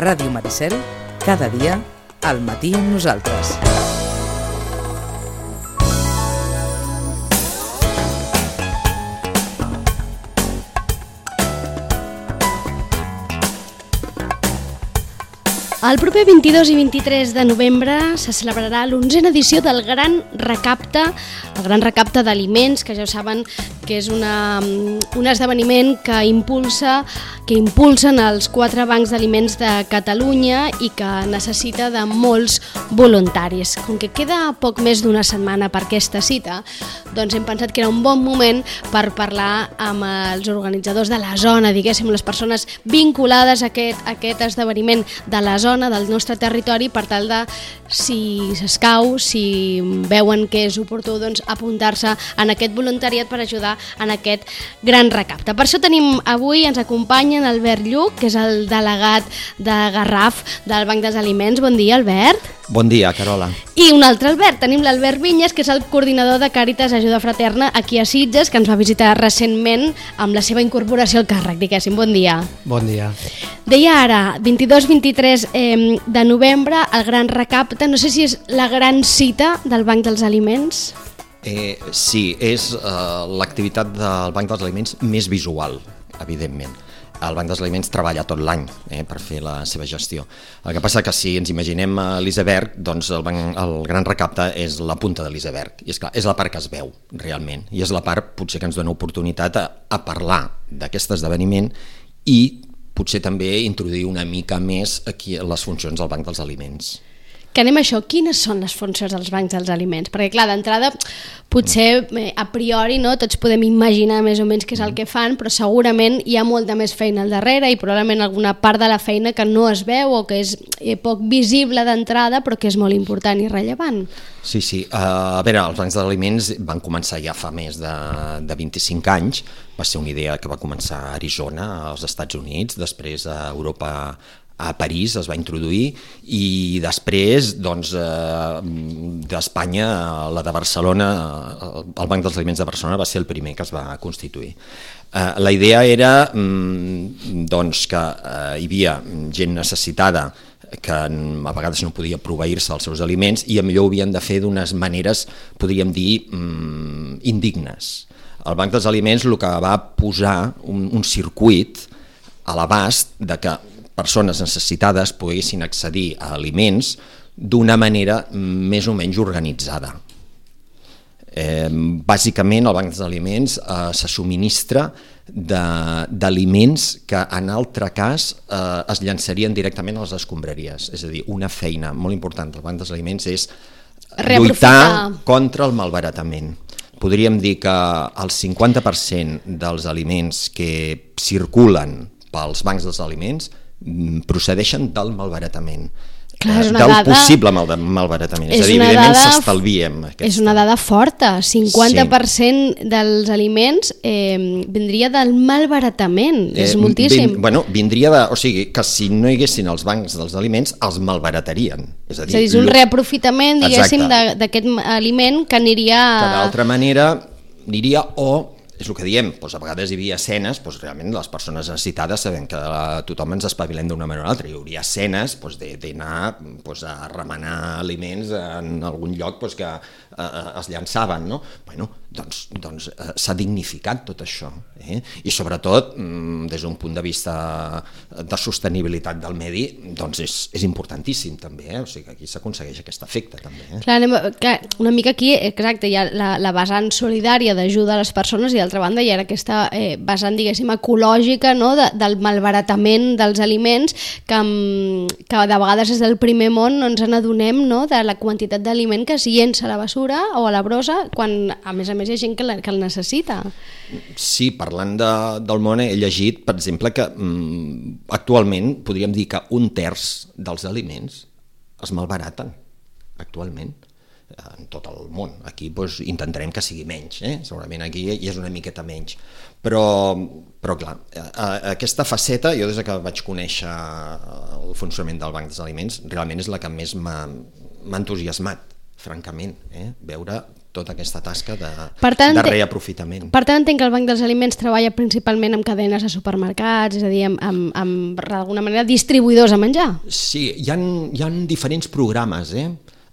Ràdio Maricel, cada dia, al matí amb nosaltres. El proper 22 i 23 de novembre se celebrarà l'11a edició del Gran Recapte, el Gran Recapte d'aliments, que ja ho saben que és un esdeveniment que impulsen els 4 bancs d'aliments de Catalunya i que necessita de molts voluntaris. Com que queda poc més d'una setmana per aquesta cita, doncs hem pensat que era un bon moment per parlar amb els organitzadors de la zona, diguéssim, les persones vinculades a aquest esdeveniment de la zona, del nostre territori, per tal de, si s'escau, si veuen que és oportú, doncs apuntar-se en aquest voluntariat per ajudar en aquest gran recapte. Per això tenim avui, ens acompanyen Albert Lluc, que és el delegat de Garraf del Banc dels Aliments. Bon dia, Albert. Bon dia, Carola. I un altre Albert, tenim l'Albert Vinyes, que és el coordinador de Càritas Ajuda Fraterna aquí a Sitges, que ens va visitar recentment amb la seva incorporació al càrrec, diguéssim. Bon dia. Bon dia. Deia ara, 22-23 de novembre, el gran recapte, no sé si és la gran cita del Banc dels Aliments. Sí, és l'activitat del Banc dels Aliments més visual, evidentment. El Banc dels Aliments treballa tot l'any per fer la seva gestió. El que passa que si ens imaginem l'iceberg, doncs el gran recapte és la punta de l'iceberg. I és clar, és la part que es veu realment. I és la part potser que ens dona oportunitat a parlar d'aquest esdeveniment i potser també introduir una mica més aquí les funcions del Banc dels Aliments. Que anem a això, quines són les funcions dels bancs dels aliments? Perquè clar, d'entrada, potser a priori tots podem imaginar més o menys què és el que fan, però segurament hi ha molta més feina al darrere i probablement alguna part de la feina que no es veu o que és poc visible d'entrada, però que és molt important i rellevant. Sí. A veure, els bancs d'aliments van començar ja fa més de 25 anys. Va ser una idea que va començar a Arizona, als Estats Units, després a Europa, a París es va introduir i després d'Espanya, la de Barcelona, el Banc dels Aliments de Barcelona va ser el primer que es va constituir. La idea era que hi havia gent necessitada que a vegades no podia proveir-se els seus aliments i millor ho havien de fer d'unes maneres, podríem dir, indignes. El Banc dels Aliments el que va posar un circuit a l'abast de que persones necessitades poguessin accedir a aliments d'una manera més o menys organitzada. Bàsicament, el Banc dels Aliments se subministra d'aliments que en altre cas es llançarien directament a les escombraries. És a dir, una feina molt important del Banc dels Aliments és lluitar contra el malbaratament. Podríem dir que el 50% dels aliments que circulen pels bancs dels aliments procedeixen del malbaratament, possible malbaratament, és a dir, evidentment s'estalviem. És una dada forta, 50% dels aliments vindria del malbaratament, és moltíssim. Vindria o sigui, que si no hi haguessin els bancs dels aliments, els malbaratarien. És a dir, és un reaprofitament, diguéssim, d'aquest aliment que aniria... Que d'altra manera aniria és el que diem, a vegades hi havia escenes, realment les persones necessitades sabem que tothom ens espavilem d'una manera o altra, hi hauria escenes d'anar a remenar aliments en algun lloc que es llançaven, no? Doncs s'ha dignificat tot això, i sobretot des d'un punt de vista de sostenibilitat del medi és importantíssim també, o sigui que aquí s'aconsegueix aquest efecte també. Clar, una mica aquí, exacte, hi ha la vessant solidària d'ajuda a les persones i d'altra banda hi ha aquesta vessant, diguéssim, ecològica, no? Del malbaratament dels aliments que de vegades des del primer món no ens n'adonem, no? De la quantitat d'aliment que es llença a la bessura o a la brossa quan a més hi ha gent que el necessita. Sí, parlant del món he llegit, per exemple, que actualment podríem dir que 1/3 dels aliments es malbaraten actualment en tot el món. Aquí intentarem que sigui menys, segurament aquí hi és una miqueta menys, però clar, aquesta faceta jo des que vaig conèixer el funcionament del Banc dels Aliments realment és la que més m'ha entusiasmat, francament, veure tota aquesta tasca de reaprofitament. Per tant, entenc que el Banc dels Aliments treballa principalment amb cadenes de supermercats, és a dir, amb d'alguna manera distribuïdors a menjar. Sí, hi ha diferents programes,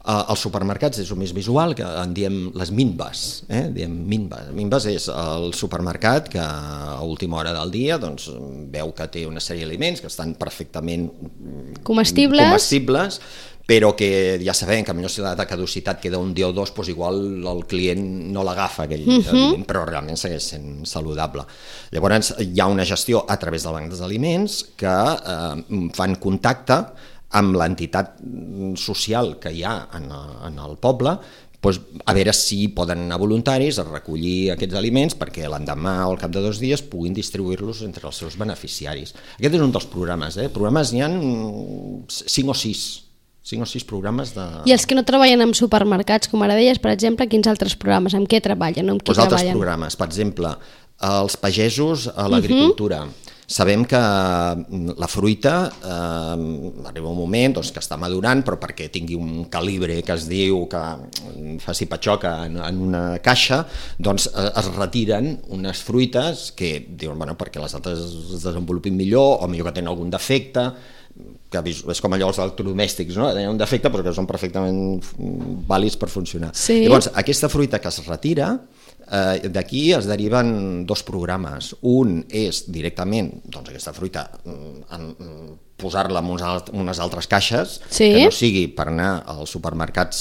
als supermercats és el més visual, que en diem les minbas. Diem minbas. Minbas és el supermercat que a última hora del dia doncs, veu que té una sèrie d'aliments que estan perfectament comestibles, però que ja sabem que potser si la data de caducitat queda un dia o dos, doncs igual el client no l'agafa aquell aliment, però realment segueix sent saludable. Llavors hi ha una gestió a través del Banc dels Aliments que fan contacte amb l'entitat social que hi ha en el poble, doncs a veure si poden anar voluntaris a recollir aquests aliments perquè l'endemà o al cap de 2 dies puguin distribuir-los entre els seus beneficiaris. Aquest és un dels programes. Programes n'hi ha 5 o 6 programes de... I els que no treballen en supermercats, com ara deies, per exemple, quins altres programes? Amb què treballen? Amb qui treballen? Altres programes, per exemple, els pagesos a l'agricultura. Sabem que la fruita arriba un moment que està madurant, però perquè tingui un calibre que es diu que faci patxoca en una caixa, doncs es retiren unes fruites que diuen, bueno, perquè les altres es desenvolupin millor o millor que tenen algun defecte, que és com allò els electrodomèstics, no? Tenen un defecte però que són perfectament vàlids per funcionar. Sí. Llavors, aquesta fruita que es retira, d'aquí es deriven 2 programes. Un és directament aquesta fruita posar-la en unes altres caixes, que no sigui per anar als supermercats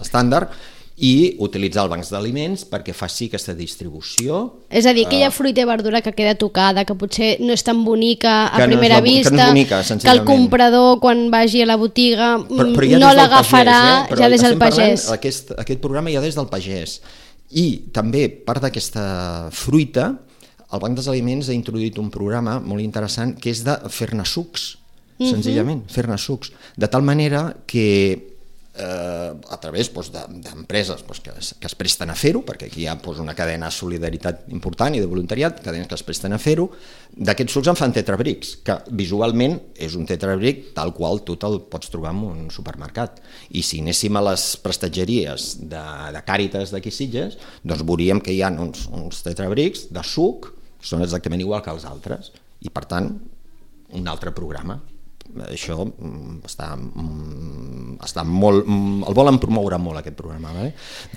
estàndard, i utilitzar el Banc d'Aliments perquè faci aquesta distribució. És a dir, aquella fruita i verdura que queda tocada, que potser no és tan bonica a primera vista, que el comprador quan vagi a la botiga no l'agafarà ja des del pagès. Aquest programa ja des del pagès. I també part d'aquesta fruita, el Banc dels Aliments ha introduït un programa molt interessant que és de fer-ne sucs, senzillament, fer-ne sucs, de tal manera que a través d'empreses que es presten a fer-ho, perquè aquí hi ha una cadena de solidaritat important i de voluntariat, cadenes que es presten a fer-ho, d'aquests sucs en fan tetrabrics, que visualment és un tetrabric tal qual tu te'l pots trobar en un supermercat. I si anéssim a les prestatgeries de Càritas d'aquí Sitges, doncs veuríem que hi ha uns tetrabrics de suc que són exactament igual que els altres, i per tant un altre programa. Això està molt... El volen promoure molt, aquest programa.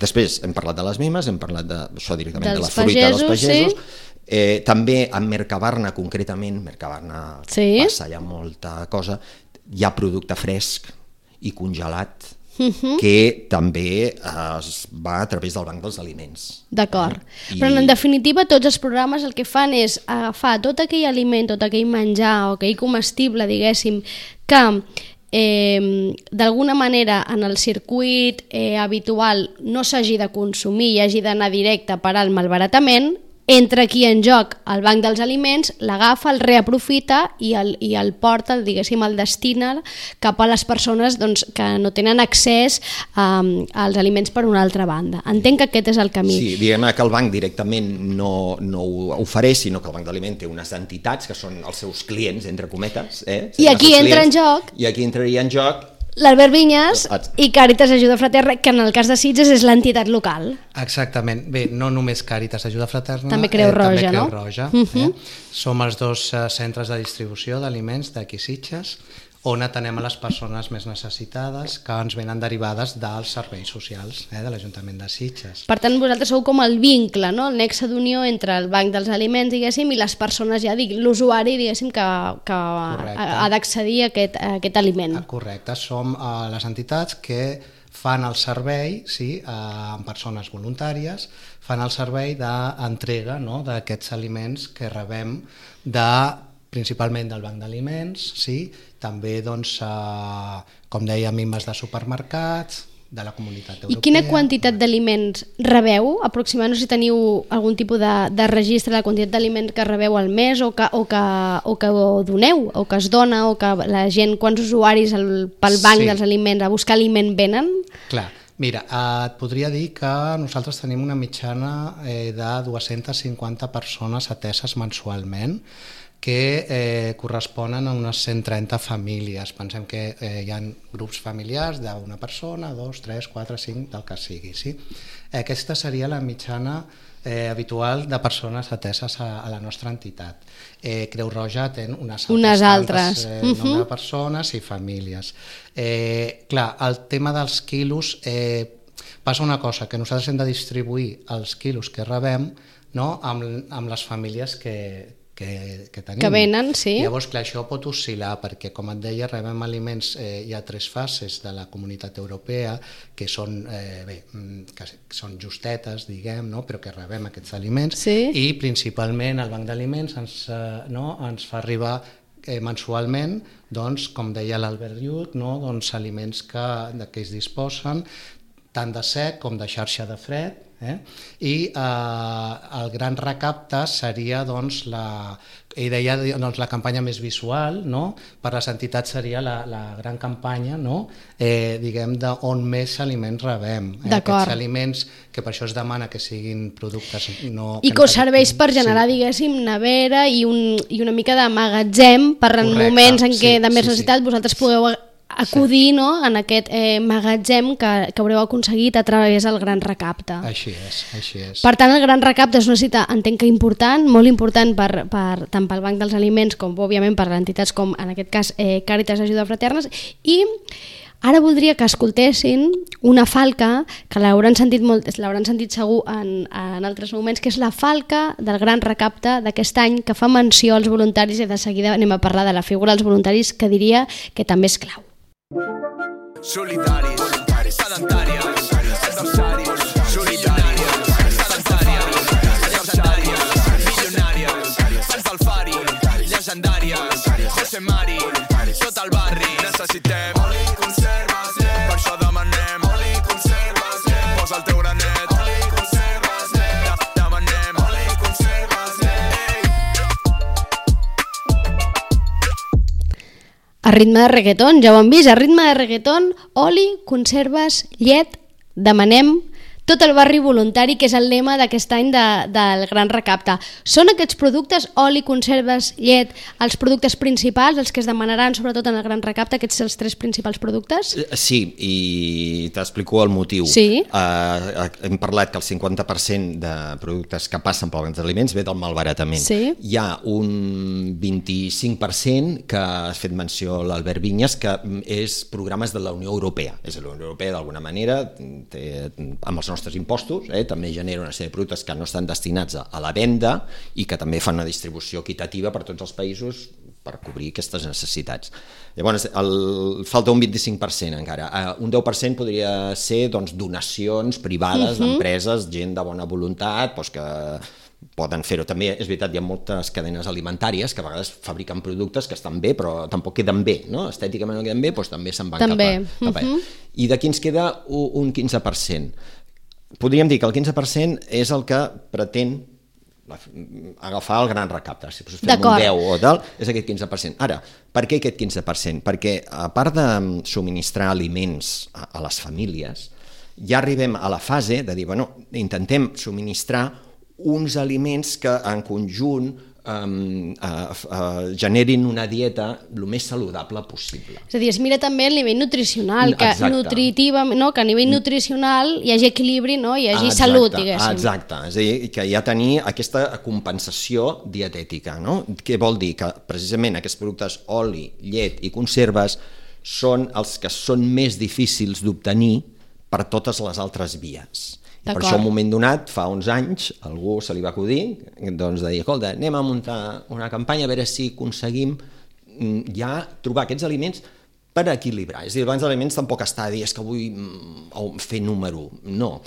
Després hem parlat de les mimes, hem parlat d'això directament, de la fruita dels pagesos. També en Mercabarna, concretament, Mercabarna passa ja molta cosa, hi ha producte fresc i congelat que també es va a través del Banc dels Aliments. D'acord. Però en definitiva tots els programes el que fan és agafar tot aquell aliment, tot aquell menjar o aquell comestible, diguéssim, que d'alguna manera en el circuit habitual no s'hagi de consumir i hagi d'anar directe a parar al malbaratament, entra aquí en joc el Banc dels Aliments, l'agafa, el reaprofita i el porta, diguéssim, el destina cap a les persones que no tenen accés als aliments per una altra banda. Entenc que aquest és el camí. Sí, diguem que el banc directament no ho ofereix, sinó que el Banc d'Aliments té unes entitats que són els seus clients, entre cometes. I aquí entra en joc... I aquí entraria en joc l'Albert Vinyes i Càritas Ajuda Fraterna, que en el cas de Sitges és l'entitat local. Exactament. Bé, no només Càritas Ajuda Fraterna, també Creu Roja, no? Som els 2 centres de distribució d'aliments d'aquí Sitges, on atenem a les persones més necessitades que ens venen derivades dels serveis socials de l'Ajuntament de Sitges. Per tant, vosaltres sou com el vincle, no? El nexe d'unió entre el Banc dels Aliments, diguéssim, i les persones, ja dic, l'usuari, diguéssim, que ha d'accedir a aquest aliment. Correcte, som les entitats que fan el servei, amb persones voluntàries, fan el servei d'entrega d'aquests aliments que rebem principalment del Banc d'Aliments, també, com deia, mimes de supermercats, de la Comunitat Europea. I quina quantitat d'aliments rebeu? Aproximadament, no sé si teniu algun tipus de registre de la quantitat d'aliments que rebeu al mes o que doneu, o que es dona, o que la gent, quants usuaris pel Banc dels Aliments a buscar aliment venen? Clar. Mira, et podria dir que nosaltres tenim una mitjana de 250 persones ateses mensualment, que corresponen a unes 130 famílies. Pensem que hi ha grups familiars d'una persona, 2, 3, 4, 5, del que sigui. Sí? Aquesta seria la mitjana habitual de persones ateses a la nostra entitat. Creu Roja té unes altres nombre de persones i famílies. Clar, el tema dels quilos, passa una cosa, que nosaltres hem de distribuir els quilos que rebem, no?, amb les famílies que tenim. Que venen, sí. Llavors, clar, això pot oscil·lar, perquè, com et deia, rebem aliments, hi ha 3 fases de la Comunitat Europea, que són, que són justetes, diguem, no?, però que rebem aquests aliments, sí. I principalment el Banc d'Aliments ens fa arribar mensualment, doncs, com deia l'Albert Lluc, no?, doncs, aliments que es disposen, tant de sec com de xarxa de fred, i el gran recapte seria doncs, la campanya més visual, no? Per les entitats seria la gran campanya, no? Diguem, d'on més aliments rebem. Aquests aliments, que per això es demana que siguin productes... I que us serveix per generar, diguéssim, nevera i una mica de magatzem per en moments en què de més necessitat vosaltres pugueu acudir, no?, en aquest magatzem que haureu aconseguit a través del gran recapte. Així és. Per tant, el gran recapte és una cita, entenc que important, molt important tant pel Banc dels Aliments com, òbviament, per entitats com, en aquest cas, Càritas Ajuda Fraternes. I ara voldria que escoltessin una falca, que l'hauran sentit segur en altres moments, que és la falca del gran recapte d'aquest any, que fa menció als voluntaris, i de seguida anem a parlar de la figura dels voluntaris, que diria que també és clau. Solidaris, sedentàries, adversaris, solidàries, sedentàries, adversàries, milionàries, Sants del Fari, llegendàries, José Mari, tot el barri, necessitem oli, conserves, per això demanem oli, conserves, posa el teu granet, oli, conserves, demanem oli, conserves, A ritme de reggaeton, ja ho hem vist, a ritme de reggaeton, oli, conserves, llet, demanem, tot el barri voluntari, que és el lema d'aquest any del Gran Recapte. Són aquests productes, oli, conserves, llet, els productes principals, els que es demanaran sobretot en el Gran Recapte, aquests els 3 principals productes? Sí, i t'explico el motiu. Sí. Hem parlat que el 50% de productes que passen pel Banc d'Aliments ve del malbaratament. Sí. Hi ha un 25% que ha fet menció l'Albert Vinyes, que és programes de la Unió Europea. És la Unió Europea, d'alguna manera, amb els nostres impostos, també genera una sèrie de productes que no estan destinats a la venda i que també fan una distribució equitativa per tots els països per cobrir aquestes necessitats. Llavors, falta un 25% encara. Un 10% podria ser donacions privades d'empreses, gent de bona voluntat, que poden fer-ho. També és veritat, hi ha moltes cadenes alimentàries que a vegades fabriquen productes que estan bé, però tampoc queden bé, no? Estèticament no queden bé, també se'n van cap a... I d'aquí ens queda un 15%. Podríem dir que el 15% és el que pretén agafar el gran recapte. Si fem un 10 o tal, és aquest 15%. Ara, per què aquest 15%? Perquè a part de subministrar aliments a les famílies, ja arribem a la fase de dir, intentem subministrar uns aliments que en conjunt generin una dieta el més saludable possible. És a dir, es mira també el nivell nutricional, que a nivell nutricional hi hagi equilibri, hi hagi salut, diguéssim. Exacte, és a dir, que hi ha tenir aquesta compensació dietètica. Què vol dir? Que precisament aquests productes oli, llet i conserves són els que són més difícils d'obtenir per totes les altres vies. I per això, en un moment donat, fa uns anys, algú se li va acudir de dir, escolta, anem a muntar una campanya a veure si aconseguim ja trobar aquests aliments per equilibrar. És a dir, el Banc d'Aliments tampoc està a dir que vull fer número. No.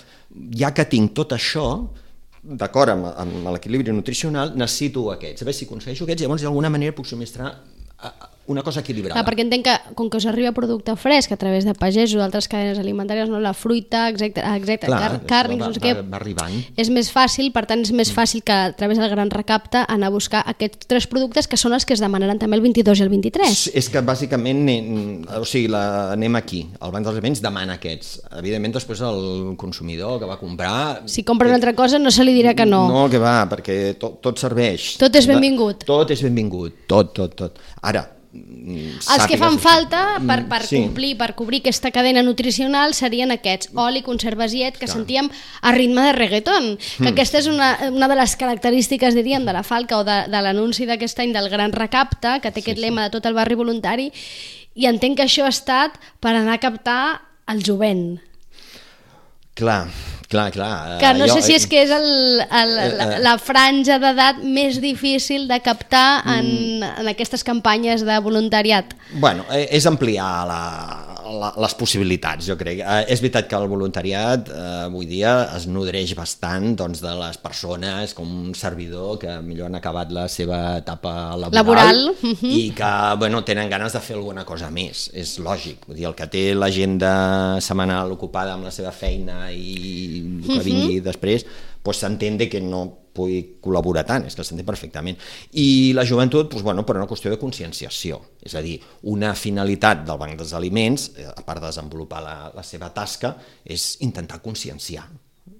Ja que tinc tot això, d'acord amb l'equilibri nutricional, necessito aquests. A veure si aconsegueixo aquests, llavors d'alguna manera puc subministrar una cosa equilibrada. Clar, perquè entenc que, com que us arriba producte fresc a través de pagesos o d'altres cadenes alimentàries, no? La fruita, càrnics, no sé què, va arribant. És més fàcil, per tant és més fàcil que a través del Gran Recapte anar a buscar aquests 3 productes que són els que es demanaran també el 22 i el 23. És que bàsicament, o sigui, anem aquí, el Banc dels Aliments demana aquests. Evidentment després el consumidor que va comprar... Si compra una altra cosa no se li dirà que no. No, que va, perquè tot serveix. Tot és benvingut. Tot és benvingut, tot. Ara, els que fan falta per complir, per cobrir aquesta cadena nutricional serien aquests, oli, conserves i que sentíem a ritme de reggaeton, que aquesta és una de les característiques, diríem, de la Falca o de l'anunci d'aquest any del Gran Recapte, que té aquest lema de tot el barri voluntari, i entenc que això ha estat per anar a captar el jovent. Clar. Que no sé si és que és la franja d'edat més difícil de captar en aquestes campanyes de voluntariat. Bueno, és ampliar les possibilitats, jo crec. És veritat que el voluntariat avui dia es nodreix bastant de les persones com un servidor que millor han acabat la seva etapa laboral. I que tenen ganes de fer alguna cosa més. És lògic. Vull dir, el que té l'agenda setmanal ocupada amb la seva feina i que vingui després, s'entén que no pugui col·laborar tant, és que s'entén perfectament. I la joventut, per una qüestió de conscienciació, és a dir, una finalitat del Banc dels Aliments, a part de desenvolupar la seva tasca, és intentar conscienciar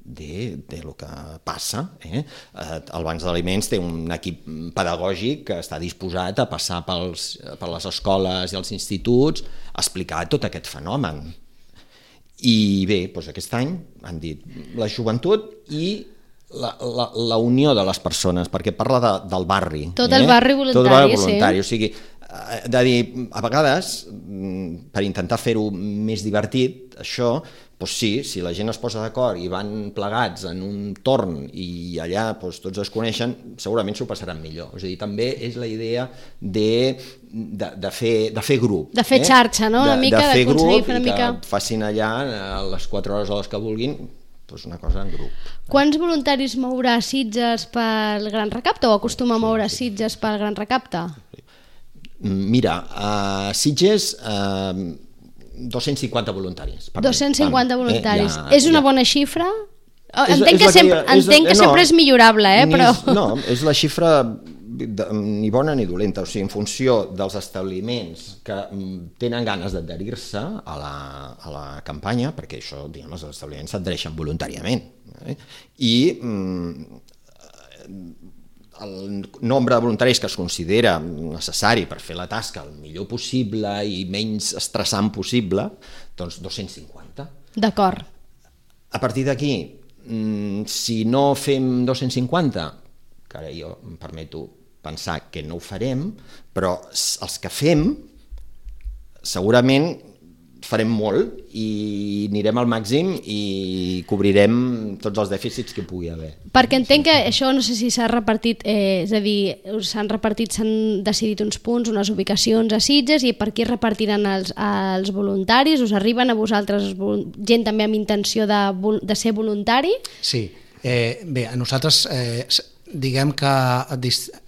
de lo que passa. El Banc dels Aliments té un equip pedagògic que està disposat a passar per les escoles i els instituts a explicar tot aquest fenomen. I bé, aquest any han dit la joventut i la unió de les persones, perquè parla del barri. Tot el barri voluntari, sí. O sigui, de dir, a vegades, per intentar fer-ho més divertit, això, sí, si la gent es posa d'acord i van plegats en un torn i allà tots es coneixen, segurament s'ho passaran millor. És a dir, també és la idea de fer grup. De fer xarxa, no? Una mica, de fer grup i que facin allà a les 4 hores o les que vulguin una cosa en grup. Quants voluntaris mourà Sitges pel Gran Recapte o acostuma a moure Sitges pel Gran Recapte? Mira, a Sitges 250 voluntaris. 250 voluntaris. És una bona xifra? Entenc que sempre és millorable, però... No, és la xifra ni bona ni dolenta, o sigui, en funció dels establiments que tenen ganes d'adherir-se a la campanya, perquè això, diguem, els establiments s'adhereixen voluntàriament, i el nombre de voluntaris que es considera necessari per fer la tasca el millor possible i menys estressant possible, doncs 250. D'acord. A partir d'aquí, si no fem 250, que ara jo em permeto pensar que no ho farem, però els que fem segurament farem molt i anirem al màxim i cobrirem tots els dèficits que pugui haver. Perquè entenc que això no sé si s'ha repartit, és a dir, s'han decidit uns punts, unes ubicacions a Sitges, i per aquí repartiran els voluntaris? Us arriben a vosaltres gent també amb intenció de ser voluntari? Sí, bé, a nosaltres diguem que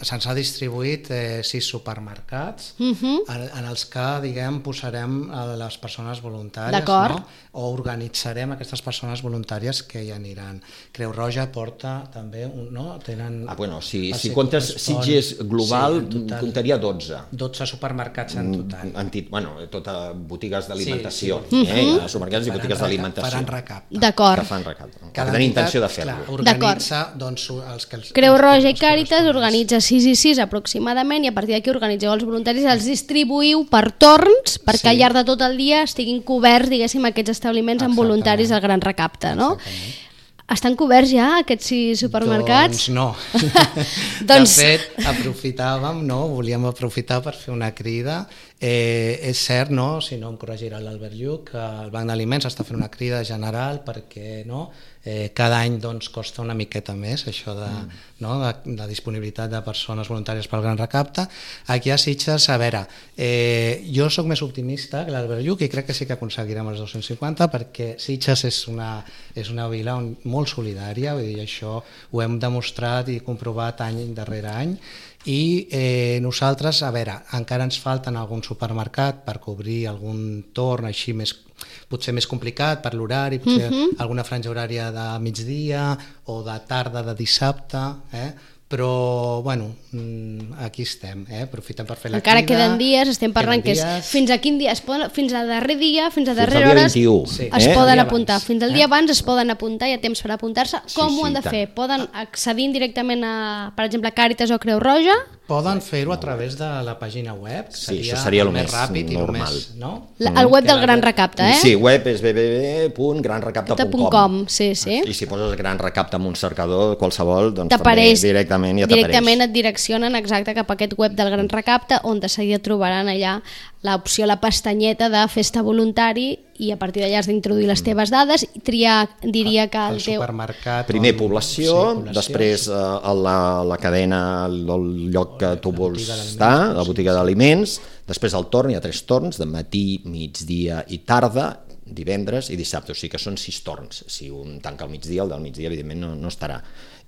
se'ns ha distribuït 6 supermercats en els que, diguem, posarem les persones voluntàries, no? O organitzarem aquestes persones voluntàries que hi aniran. Creu Roja porta també, no? Tenen... Si comptes Sitges global, comptaria 12. 12 supermercats en total. Tota botigues d'alimentació. Supermercats i botigues d'alimentació. Faran recapte. D'acord. Que fan recapte. Que tenen intenció de fer-ho. Organitza, doncs, els que... Creu Roja i Càritas organitza 6 i 6 aproximadament, i a partir d'aquí organitzeu els voluntaris, els distribuïu per torns perquè al llarg de tot el dia estiguin coberts, diguéssim, aquests establiments amb voluntaris al Gran Recapte, no? Estan coberts ja aquests 6 supermercats? Doncs no. De fet, volíem aprofitar per fer una crida. És cert, si no em corregirà l'Albert Lluc, que el Banc d'Aliments està fent una crida general perquè Cada any doncs, costa una miqueta més això de disponibilitat de persones voluntàries pel Gran Recapte. Aquí a Sitges, a veure, jo sóc més optimista que l'Albert Lluc i crec que sí que aconseguirem els 250 perquè Sitges és una vila molt solidària, vull dir, això ho hem demostrat i comprovat any darrere any. I nosaltres, a veure, encara ens falten algun supermercat per cobrir algun torn així potser més complicat per l'horari, potser alguna franja horària de migdia o de tarda de dissabte, però bueno, aquí estem, aprofitem per fer la encara crida. Queden dies, estem parlant que fins a quin dia, fins a darrer dia, fins a darrera hora es poden apuntar, fins al dia abans es poden apuntar, hi ha temps per apuntar-se. Com ho han de fer? Poden accedir directament a, per exemple, Càritas o Creu Roja? Poden fer-ho a través de la pàgina web, això seria el més ràpid i normal. El web del Gran Recapte, Sí, web és www.granrecapte.com. Sí. I si poses Gran Recapte amb un cercador qualsevol, doncs t'apareix també directament et direccionen exacte cap a aquest web del Gran Recapte, on de seguida trobaran allà l'opció, la pestanyeta de festa voluntari, i a partir d'allà has d'introduir les teves dades i triar, diria que el teu... supermercat... Primer població, després la cadena, el lloc que tu vols estar, la botiga d'aliments, després el torn, hi ha 3 torns, de matí, migdia i tarda, divendres i dissabte, o sigui que són 6 torns. Si un tanca al migdia, el del migdia evidentment no estarà.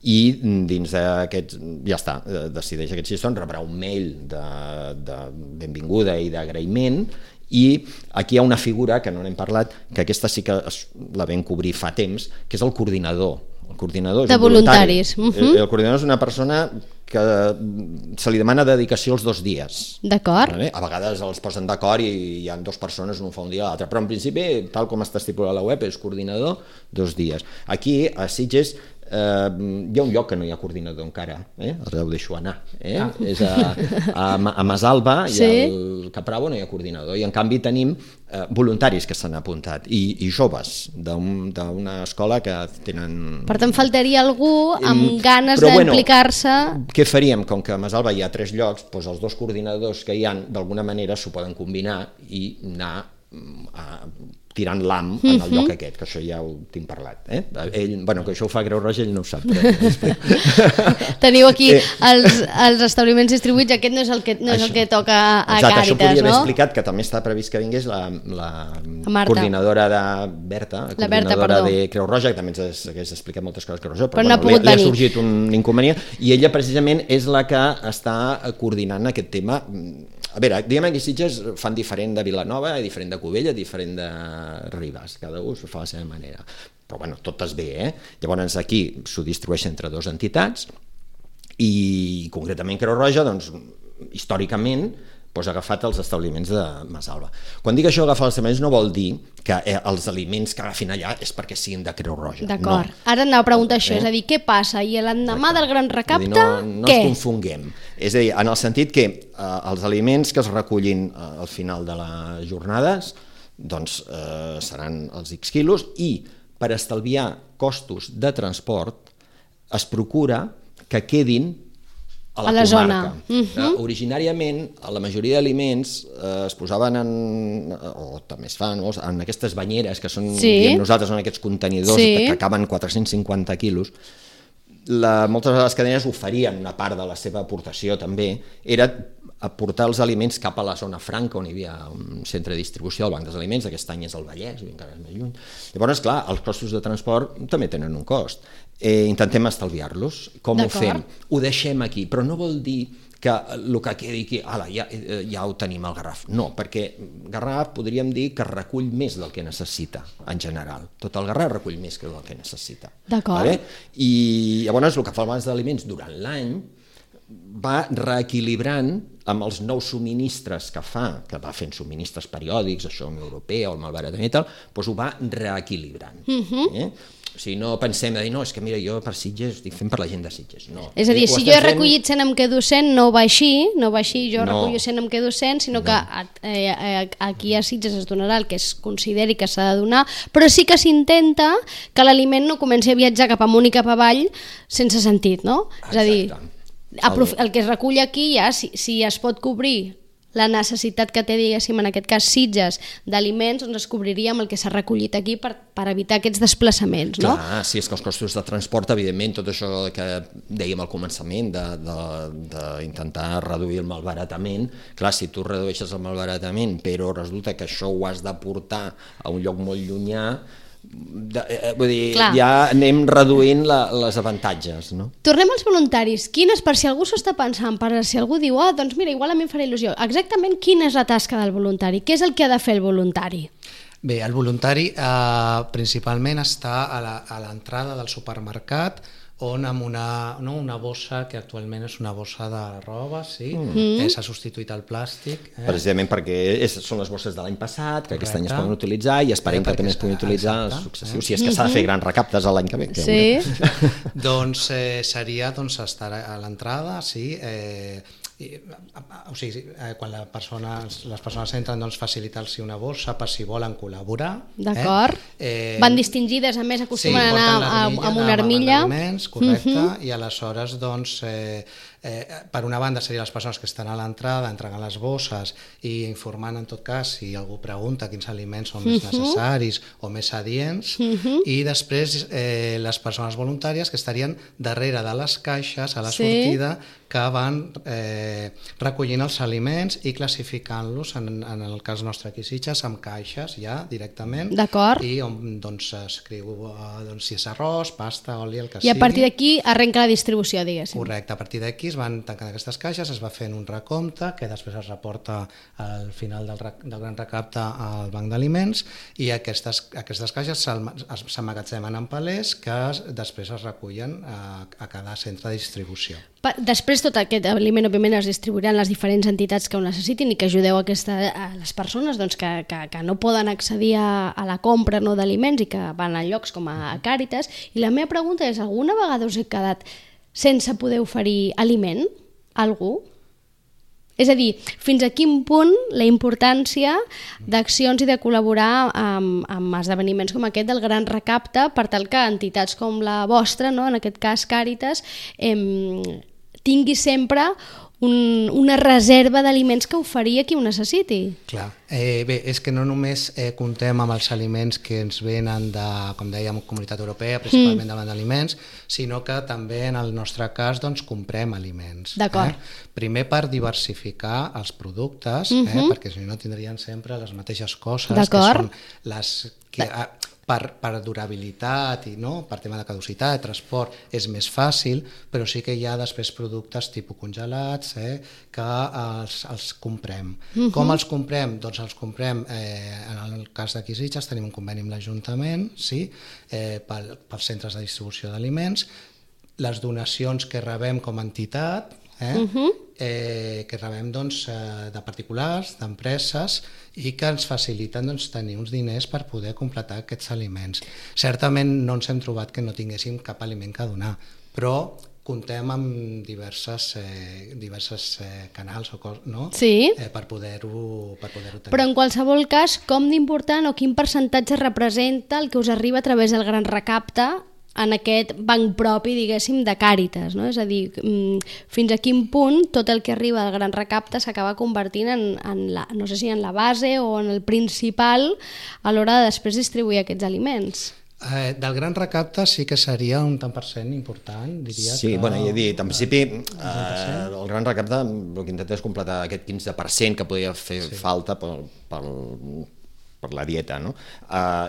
I dins d'aquests, ja està, decideix aquests 6 torns, rebrà un mail de benvinguda i d'agraïment. I aquí hi ha una figura que no n'hem parlat, que aquesta sí que la vam cobrir fa temps, que és el coordinador. El coordinador és de voluntaris. El coordinador és una persona que se li demana dedicació els 2 dies. D'acord. A vegades els posen d'acord i hi ha 2 persones, un fa un dia a l'altre, però en principi, tal com està estipulat a la web, és coordinador 2 dies. Aquí, a Sitges, hi ha un lloc que no hi ha coordinador encara, ara ho deixo anar, és a Masalba i al Capravo no hi ha coordinador, i en canvi tenim voluntaris que s'han apuntat i joves d'una escola que tenen... Per tant, faltaria algú amb ganes d'implicar-se. Què faríem? Com que a Masalba hi ha 3 llocs, doncs els 2 coordinadors que hi ha d'alguna manera s'ho poden combinar i anar tirant l'am en el lloc aquest, que això ja ho tinc parlat. Ell, que això ho fa Creu Roja, ell no ho sap. Teniu aquí els establiments distribuïts, aquest no és el que toca a Càritas, no? Això podria haver explicat, que també està previst que vingués la coordinadora de Berta, la coordinadora de Creu Roja, que també ens hagués explicat moltes coses de Creu Roja, però no li ha sorgit un inconvenient, i ella precisament és la que està coordinant aquest tema. A veure, diguem que Sitges fan diferent de Vilanova, diferent de Cubella, diferent de Ribàs, cada un s'ho fa a la seva manera, però bueno, tot es bé, Llavors aquí s'ho distribueix entre 2 entitats i concretament Creu Roja, doncs històricament ha agafat els establiments de Masalba. Quan dic això, agafar els establiments no vol dir que els aliments que agafin allà és perquè siguin de Creu Roja. D'acord. Ara anava a preguntar això, és a dir, què passa? I l'endemà del Gran Recapte, no ens confonguem. És a dir, en el sentit que els aliments que es recullin al final de les jornades doncs seran els X quilos, i per estalviar costos de transport es procura que quedin a la zona. Originàriament, la majoria d'aliments es posaven o també es fan, en aquestes banyeres que són, diem nosaltres, en aquests contenidors que acaben 450 quilos. Moltes de les cadenes oferien una part de la seva aportació també, era aportar els aliments cap a la zona franca on hi havia un centre de distribució del Banc dels Aliments, aquest any és el Vallès, encara és més lluny. Llavors, clar, els costos de transport també tenen un cost. Intentem estalviar-los. Com ho fem? Ho deixem aquí, però no vol dir que el que quedi aquí, ja ho tenim al Garraf. No, perquè Garraf podríem dir que recull més del que necessita en general. Tot el Garraf recull més que del que necessita. D'acord. I llavors el que fa el Banc d'Aliments durant l'any va reequilibrant amb els nous subministres que va fent subministres periòdics, això Unió Europea o el malbaratament i tal, doncs ho va reequilibrant. O sigui, no pensem de dir, no, és que mira, jo per Sitges estic fent per la gent de Sitges. No. És a dir, si jo he recollit 100 em quedo 100, no va així, jo recollo 100 em quedo 100, sinó que aquí a Sitges es donarà el que es consideri que s'ha de donar, però sí que s'intenta que l'aliment no comenci a viatjar cap amunt i cap avall sense sentit, no? És a dir, el que es recull aquí ja, si es pot cobrir la necessitat que té, diguéssim, en aquest cas Sitges, d'aliments, doncs es cobriria amb el que s'ha recollit aquí per evitar aquests desplaçaments, no? Clar, sí, és que els costos de transport, evidentment, tot això que dèiem al començament d'intentar reduir el malbaratament, clar, si tu redueixes el malbaratament però resulta que això ho has de portar a un lloc molt llunyà, vull dir, clar, ja anem reduint les avantatges, no? Tornem als voluntaris. Per si algú s'ho està pensant, per si algú diu, doncs mira, igual a mi em farà il·lusió. Exactament quina és la tasca del voluntari? Què és el que ha de fer el voluntari? Bé, el voluntari principalment està a l'entrada del supermercat, on amb una bossa, que actualment és una bossa de roba, sí, s'ha substituït el plàstic. Precisament perquè són les bosses de l'any passat, que aquest any es poden utilitzar i esperem que també es puguin utilitzar els successius, si és que s'ha de fer grans recaptes l'any que ve. Sí. Doncs seria estar a l'entrada, sí, o sigui, quan les persones entren, doncs facilitar-los una bossa per si volen col·laborar. D'acord. Van distingides, a més acostumen a anar amb una armilla. Correcte, i aleshores doncs per una banda serien les persones que estan a l'entrada entregant les bosses i informant en tot cas si algú pregunta quins aliments són més necessaris o més adients, i després les persones voluntàries que estarien darrere de les caixes a la sortida, que van recollint els aliments i classificant-los, en el cas nostre aquí Sitges, amb caixes ja directament. D'acord. I on s'escriu si és arròs, pasta, oli, el que sigui. I a partir d'aquí arrenca la distribució, diguéssim. Correcte, a partir d'aquí es van tancant aquestes caixes, es va fent un recompte que després es reporta al final del gran recapte al banc d'aliments, i aquestes caixes s'emmagatzemen en palers que després es recullen a cada centre de distribució. Després tot aquest aliment òbviament es distribuirà en les diferents entitats que ho necessitin i que ajudeu a les persones doncs, que no poden accedir a la compra d'aliments i que van a llocs com a Càritas. I la meva pregunta és, alguna vegada us he quedat sense poder oferir aliment a algú? És a dir, fins a quin punt la importància d'accions i de col·laborar amb esdeveniments com aquest del gran recapte per tal que entitats com la vostra, no? En aquest cas Càritas, tingui sempre una reserva d'aliments que oferir a qui ho necessiti. Clar. Bé, és que no només comptem amb els aliments que ens venen de, com dèiem, Comunitat Europea, principalment davant d'aliments, sinó que també en el nostre cas comprem aliments. D'acord. Primer per diversificar els productes, perquè si no tindrien sempre les mateixes coses, que són les que per durabilitat i per tema de caducitat, transport, és més fàcil, però sí que hi ha després productes tipus congelats que els comprem. Com els comprem? Doncs els comprem, en el cas d'aquí Sitges tenim un conveni amb l'Ajuntament, pels centres de distribució d'aliments, les donacions que rebem com a entitat, que rebem de particulars, d'empreses, i que ens faciliten tenir uns diners per poder completar aquests aliments. Certament no ens hem trobat que no tinguéssim cap aliment que donar, però comptem amb diverses canals per poder-ho tenir. Però en qualsevol cas, com d'important o quin percentatge representa el que us arriba a través del gran recapte en aquest banc propi, diguéssim, de Càritas, no? És a dir, fins a quin punt tot el que arriba del gran recapte s'acaba convertint no sé si en la base o en el principal a l'hora de després distribuir aquests aliments. Del gran recapte sí que seria un tant per cent important, diria. Sí, bueno, ja he dit, en principi el gran recapte el que intenta és completar aquest 15% que podria fer falta per la dieta, no?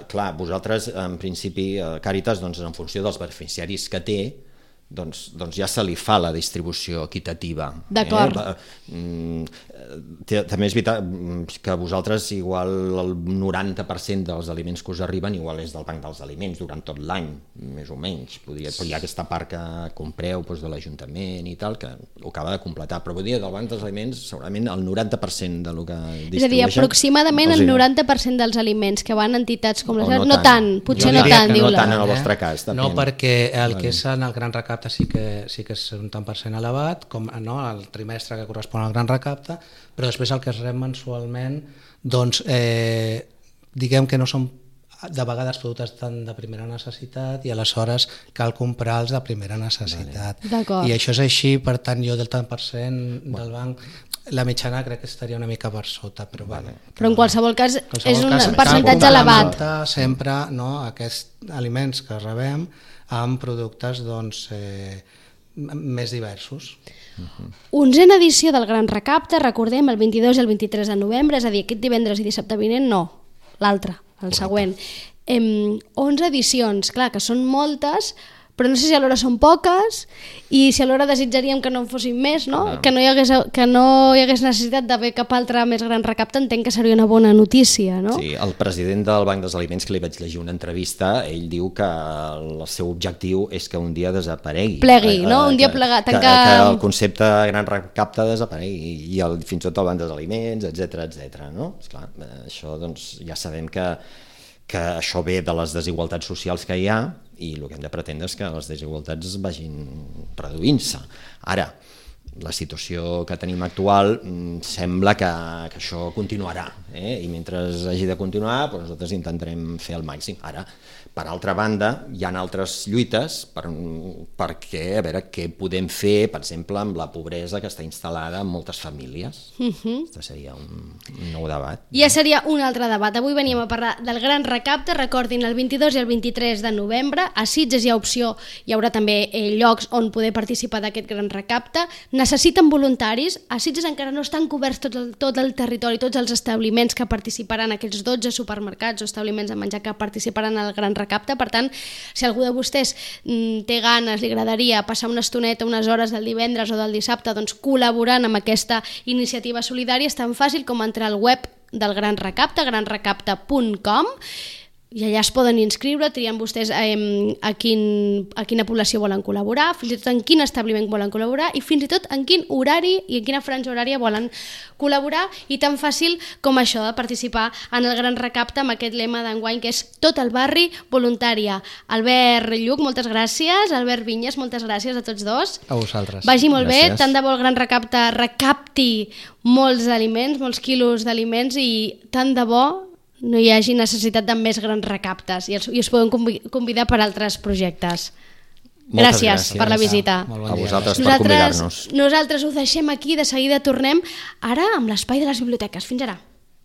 Clar, vosaltres, en principi, Càritas, en funció dels beneficiaris que té, doncs ja se li fa la distribució equitativa. D'acord. També és veritat que vosaltres igual el 90% dels aliments que us arriben igual és del banc dels aliments durant tot l'any, més o menys. Però hi ha aquesta part que compreu de l'Ajuntament i tal, que ho acaba de completar. Però vull dir, del banc dels aliments segurament el 90% del que distribueixen... És a dir, aproximadament el 90% dels aliments que van a entitats com les... No tant, potser no tant, diu-la. No tant en el vostre cas. No, perquè el que és en el gran recapte sí que és un tant per cent elevat, com el trimestre que correspon al gran recapte, però després el que es rep mensualment, doncs diguem que no són de vegades productes tan de primera necessitat i aleshores cal comprar-los de primera necessitat. D'acord. I això és així, per tant jo del tant per cent del banc La mitjana crec que estaria una mica per sota, però vale. Però en qualsevol cas és un percentatge elevat. Sempre aquests aliments que rebem amb productes doncs, més diversos. 11a edició del Gran Recapte, recordem, el 22 i el 23 de novembre, és a dir, aquest divendres i dissabte vinent no, l'altre, el següent. 11 edicions, clar, que són moltes, però no sé si alhora són poques i si alhora desitjaríem que no en fossin més, no? Que no hi hagués necessitat d'haver cap altre més gran recapte, entenc que seria una bona notícia, no? Sí, el president del Banc dels Aliments, que li vaig llegir una entrevista, ell diu que el seu objectiu és que un dia desaparegui. Plegui, no? Un dia plegar, tancar... Que el concepte gran recapte desaparegui i fins i tot el Banc dels Aliments, etc, no? Esclar, això doncs ja sabem que això ve de les desigualtats socials que hi ha i el que hem de pretendre és que les desigualtats vagin reduint-se. Ara, la situació que tenim actual sembla que això continuarà, i mentre hagi de continuar doncs nosaltres intentarem fer el màxim. Ara, per altra banda, hi ha altres lluites perquè a veure què podem fer, per exemple, amb la pobresa que està instal·lada en moltes famílies. Aquest seria un nou debat. Ja seria un altre debat. Avui veníem a parlar del Gran Recapte. Recordin, el 22 i el 23 de novembre a Sitges hi ha opció, hi haurà també llocs on poder participar d'aquest Gran Recapte. Necessiten voluntaris. A Sitges encara no estan coberts tot el territori, tots els establiments que participaran, aquells 12 supermercats o establiments de menjar que participaran al Gran Recapte. Per tant, si algú de vostès té ganes, li agradaria passar una estoneta, unes hores del divendres o del dissabte doncs, col·laborant amb aquesta iniciativa solidària, és tan fàcil com entrar al web del Gran Recapte, granrecapte.com, i allà es poden inscriure, trien vostès a quina població volen col·laborar, fins i tot en quin establiment volen col·laborar i fins i tot en quin horari i en quina franja horària volen col·laborar, i tan fàcil com això de participar en el Gran Recapte amb aquest lema d'enguany que és tot el barri voluntària. Albert Lluc, moltes gràcies. Albert Vinyes, moltes gràcies a tots dos. A vosaltres. Vagi molt Gràcies. bé, tant de bo el Gran Recapte recapti molts aliments, molts quilos d'aliments, i tant de bo no hi hagi necessitat de més grans recaptes i us podem convidar per altres projectes. Gràcies per la visita. Molt bon A dia. vosaltres per convidar-nos. Nosaltres ho deixem aquí, de seguida tornem ara amb l'espai de les biblioteques. Fins ara.